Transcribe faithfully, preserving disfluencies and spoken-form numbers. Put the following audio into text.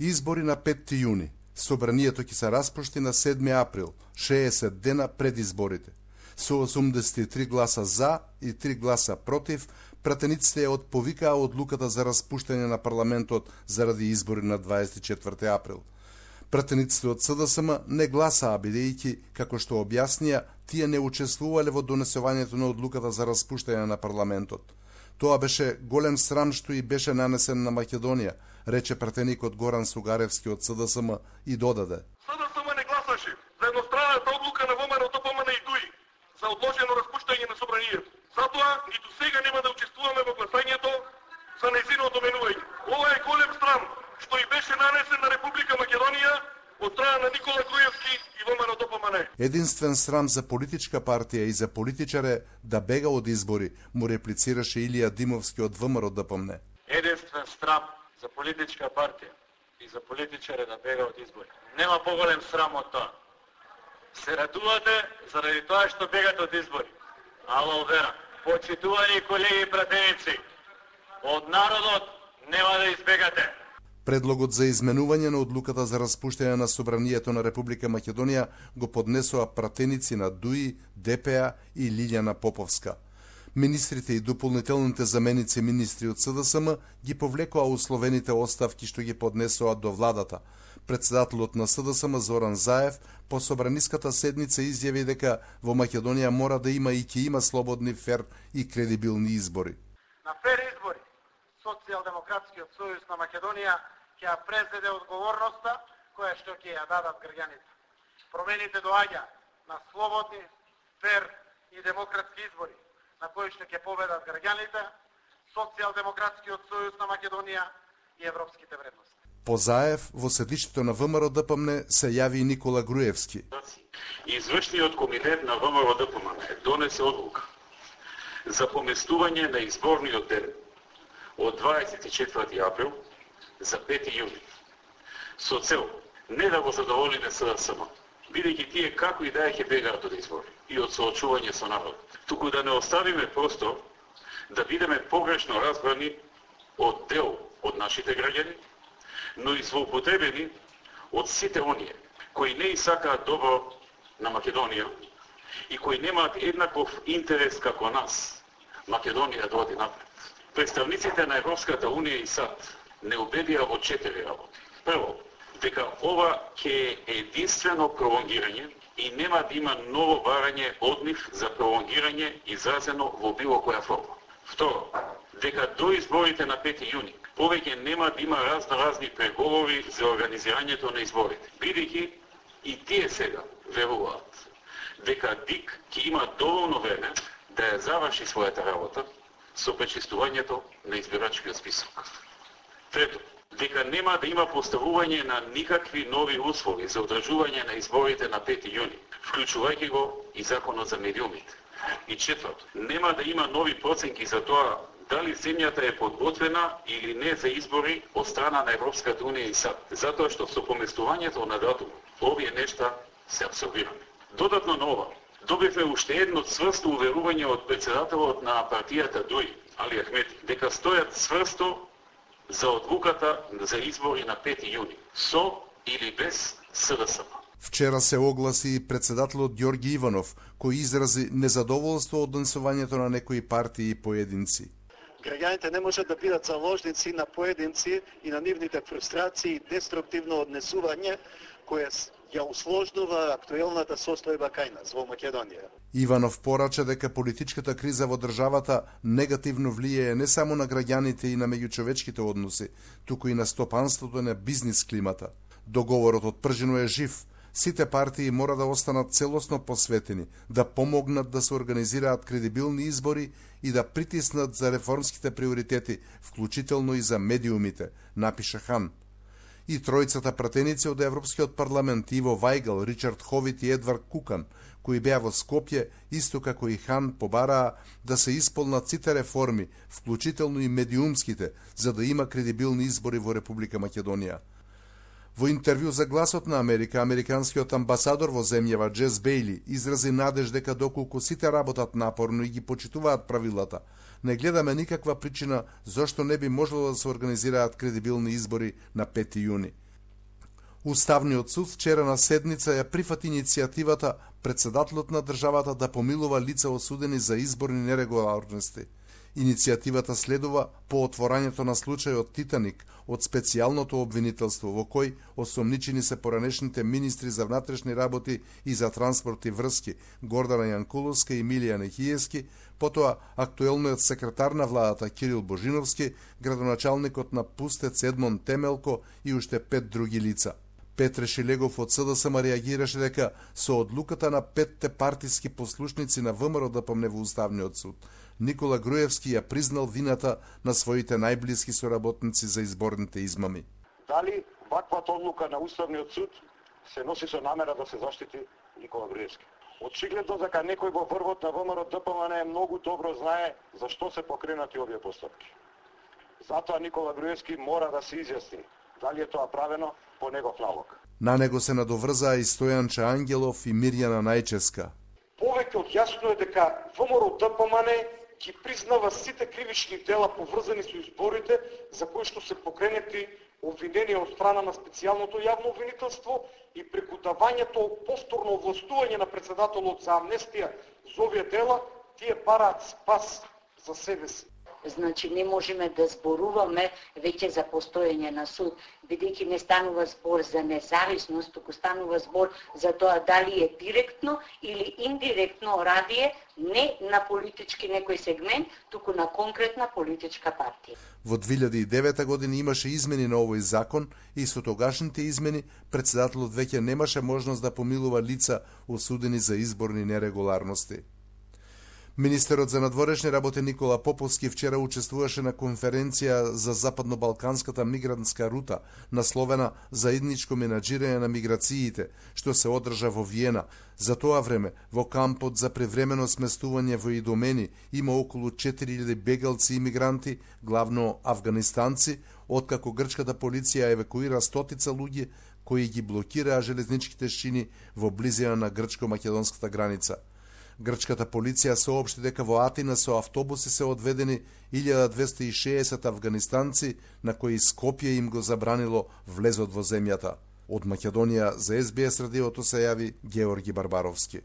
Избори на петти јуни. Собранието ќе се распушти на седми април, шеесет дена пред изборите. Со осумдесет и три гласа за и три гласа против, пратениците ја отповикаа одлуката за распуштање на парламентот заради избори на дваесет и четврти април. Пратениците од СДСМ не гласаа, бидејќи, како што објаснија, тие не учествувале во донесувањето на одлуката за распуштање на парламентот. Тоа беше голем срам што и беше нанесен на Македонија, рече пратеникот Горан Сугаревски од СДСМ и додаде. СДСМ не гласаше за едностранната одлука на ВМРО ДПМН и ДУИ за одложено распуштање на собранието. Затоа ниту сега нема да учествуваме во гласањето за нејзиното менување. Ова е голем срам што и беше нанесен на Република Македонија од страна на Никола Груевски и ВМРО ДПМН. Единствен срам за политичка партија и за политичар е да бега од избори, му реплицираше Илија Димовски од ВМРО ДПМН. Единствен срам за политичка партија и за политичар е да бега од избори. Нема поголем срам од тоа. Се радувате заради тоа што бегате од избори. Ало вера, почитувани колеги и пратеници, од народот нема да избегате. Предлогот за изменување на одлуката за распуштање на собранието на Република Македонија го поднесоа пратеници на ДУИ, ДПА и Лиљана Поповска. Министрите и дополнителните заменици министри од СДСМ ги повлекоа условените оставки што ги поднесоа до владата. Председателот на СДСМ Зоран Заев по собраниската седница изјави дека во Македонија мора да има и ќе има слободни, фер и кредибилни избори. На фер избори Социјалдемократскиот сојуз на Македонија ќе ја презеде одговорноста која што ќе ја дадат граѓаните. Промените доаѓа на слободни, фер и демократски избори, на кои што ќе победат граѓаните, Социјалдемократскиот сојуз на Македонија и европските вредности. По Заев, во седишето на ВМРО ДПМН се јави и Никола Груевски. Извршниот комитет на ВМРО ДПМН донесе одлука за поместување на изборниот ден од дваесет и четврти април за пети јуни, со цел не да го задоволиме СДСМ, бидејќи тие како и да е ќе бегаат од избори и од соочување со народот, туку да не оставиме простор да бидеме погрешно разбрани од дел од нашите граѓани, но и злоупотребени од сите оние кои не и сакаат добро на Македонија и кои немаат еднаков интерес како нас, Македонија да оди напред. Представниците на Европската Унија и САД не убедија во четири работи. Прво, дека ова ќе е единствено пролонгирање и нема да има ново барање од нив за пролонгирање изразено во било која форма. Второ, дека до изборите на пети јуни повеќе нема да има разно-разни преговори за организирањето на изборите, бидејќи и тие сега веруваат дека ДИК ќе има доволно време да ја заврши својата работа со пречистувањето на избирачкиот список. Трето, дека нема да има поставување на никакви нови услови за одржување на изборите на пети јуни, вклучувајќи го и законот за медиумите. И четврто, нема да има нови проценки за тоа дали земјата е подготвена или не за избори од страна на Европската Унија и САД, затоа што со поместувањето на датум овие нешта се абсорбирани. Додатно на ова, добивме уште едно цврсто уверување од председателот на партијата ДУИ, Али Ахмети, дека стојат цврсто за одлуката за избори на пети јуни, со или без СДСМ. Вчера се огласи и председателот Ѓорги Иванов, кој изрази незадоволство од донесувањето на некои партии и поединци. Граѓаните не можат да бидат заложници на поединци и на нивните фрустрации и деструктивно однесување кое ја усложнува актуелната состојба кај нас во Македонија. Иванов порача дека политичката криза во државата негативно влијае не само на граѓаните и на меѓучовечките односи, туку и на стопанството и на бизнис климата. Договорот од Пржино е жив. Сите партии мора да останат целосно посветени, да помогнат да се организираат кредибилни избори и да притиснат за реформските приоритети, вклучително и за медиумите, напиша Хан. И тројцата пратеници од Европскиот парламент Иво Вајгал, Ричард Ховит и Едвард Кукан, кои беа во Скопје, исто како и Хан, побараа да се исполнат сите реформи, вклучително и медиумските, за да има кредибилни избори во Република Македонија. Во интервју за Гласот на Америка, американскиот амбасадор во земјава Джес Бејли изрази надеж дека доколку сите работат напорно и ги почитуваат правилата, не гледаме никаква причина зошто не би можело да се организираат кредибилни избори на пети јуни. Уставниот суд вчера на седница ја прифати иницијативата председателот на државата да помилува лица осудени за изборни нерегуларности. Иницијативата следува по отворањето на случајот Титаник од специјалното обвинителство, во кој осомничени се поранешните министри за внатрешни работи и за транспорт и врски Гордана Јанкуловска и Емилија Нехиевски, потоа актуелниот секретар на владата Кирил Божиновски, градоначалникот на Пустец Едмон Темелко и уште пет други лица. Петре Шилегов од СДСМ реагираше дека со одлуката на петте партиски послушници на ВМРО-ДПМНЕ во Уставниот суд, Никола Груевски ја признал вината на своите најблиски соработници за изборните измами. Дали ваквата одлука на Уставниот суд се носи со намера да се заштити Никола Груевски? Очигледно дека некој во врвот на ВМРО-ДПМНЕ многу добро знае зашто се покренати овие постапки. Затоа Никола Груевски мора да се изјасни дали е тоа правено по негов налог. На него се надоврзаа и Стојанче Ангелов и Мирјана Најческа. Повеќе од јасно е дека ВМРО-ДПМНЕ ги признава сите кривични дела поврзани со изборите за кои што се покренети обвиненија од страна на специјалното јавно обвинителство и преку давањето повторно овластување на председателот за амнестија за овие дела, тие бараат спас за себе си. Значи не можеме да зборуваме веќе за постоење на суд, бидејќи не станува збор за независност, туку станува збор за тоа дали е директно или индиректно радие не на политички некој сегмент, туку на конкретна политичка партија. Во две илјади и девета година имаше измени на овој закон и со тогашните измени председателот веќе немаше можност да помилува лица осудени за изборни нерегуларности. Министерот за надворешни работи Никола Поповски вчера учествуваше на конференција за западно-балканската мигрантска рута, насловена Заедничко менаџирање на миграциите, што се одржа во Виена. За тоа време, во кампот за превремено сместување во Идомени има околу четири илјади бегалци и мигранти, главно афганистанци, откако грчката полиција евакуира стотица луѓе кои ги блокираа железничките шини во близина на грчко-македонската граница. Грчката полиција соопшти дека во Атина со автобуси се одведени илјада двесте и шеесет афганистанци на кои Скопје им го забранило влезот во земјата. Од Македонија за Ес Би Ес радиото се јави Георги Барбаровски.